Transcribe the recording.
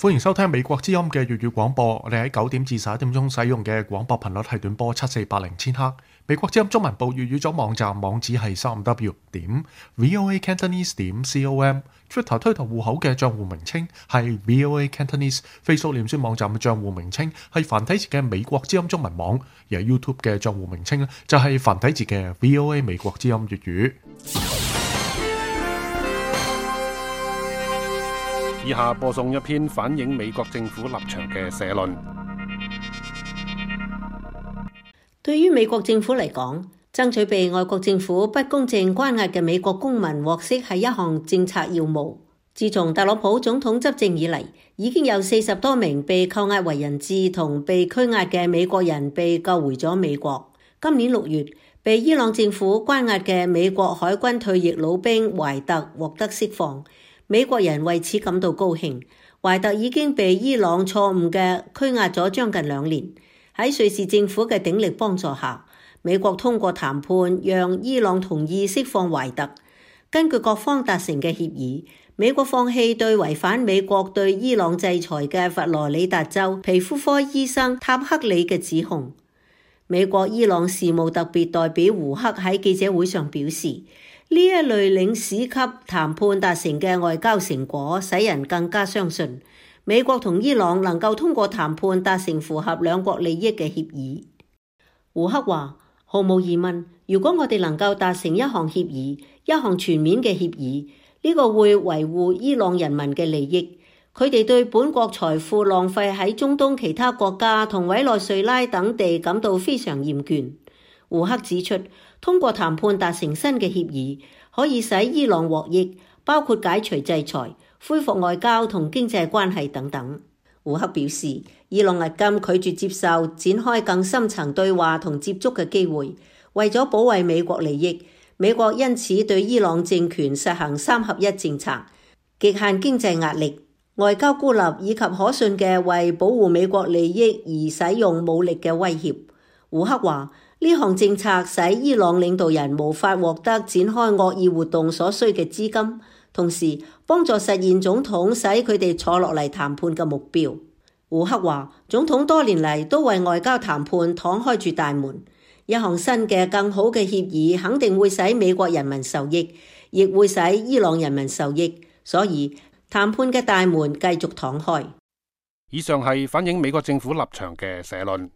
歡迎收聽美國之音嘅粵語廣播。我哋喺9點至11點鐘使用嘅廣播頻率係短波7480千赫。美國之音中文部粵語組網站網址係3w.voacantonese.com。Twitter 推特戶口嘅賬戶名稱係 VOA Cantonese。Facebook 臉書網站嘅賬戶名稱係繁體字嘅美國之音中文網。而 YouTube 嘅賬戶名稱就係繁體字嘅 VOA 美國之音粵語。以下播送一篇反映美國政府立場嘅社論。對於美國政府嚟講，爭取被外國政府不公正關押嘅美國公民獲釋係一項政策要務。自從特朗普總統執政以嚟，已經有40多名被扣押為人質同被拘押嘅美國人被救回咗美國。今年6月，被伊朗政府關押嘅美國海軍退役老兵懷特獲得釋放。美國人為此感到高興。懷特已經被伊朗錯誤嘅拘押咗將近2年。喺瑞士政府嘅鼎力幫助下，美國通過談判讓伊朗同意釋放懷特。根據各方達成嘅協議，美國放棄對違反美國對伊朗制裁嘅佛羅里達州皮膚科醫生塔克里嘅指控。美國伊朗事務特別代表胡克喺記者會上表示，呢一類領事級談判達成嘅外交成果，使人更加相信美國同伊朗能夠通過談判達成符合兩國利益嘅協議。胡克話：毫無疑問，如果我哋能夠達成一項協議，一項全面嘅協議，呢個會維護伊朗人民嘅利益。佢哋對本國財富浪費喺中東其他國家同委內瑞拉等地感到非常厭倦。胡克指出，通過談判達成新嘅協議，可以使伊朗獲益，包括解除制裁、恢復外交同經濟關係等等。胡克表示，伊朗至今拒絕接受展開更深層對話同接觸嘅機會。為咗保衛美國利益，美國因此對伊朗政權實行3合1政策，極限經濟壓力、外交孤立以及可信嘅為保護美國利益而使用武力嘅威脅。胡克話，呢項政策使伊朗領導人無法獲得展開惡意活動所需嘅資金，同時幫助實現總統使佢哋坐落嚟談判嘅目標。胡克話，總統多年嚟都為外交談判敞開住大門，一項新嘅更好嘅協議肯定會使美國人民受益，亦會使伊朗人民受益，所以談判嘅大門繼續敞開。以上係反映美國政府立場嘅社論。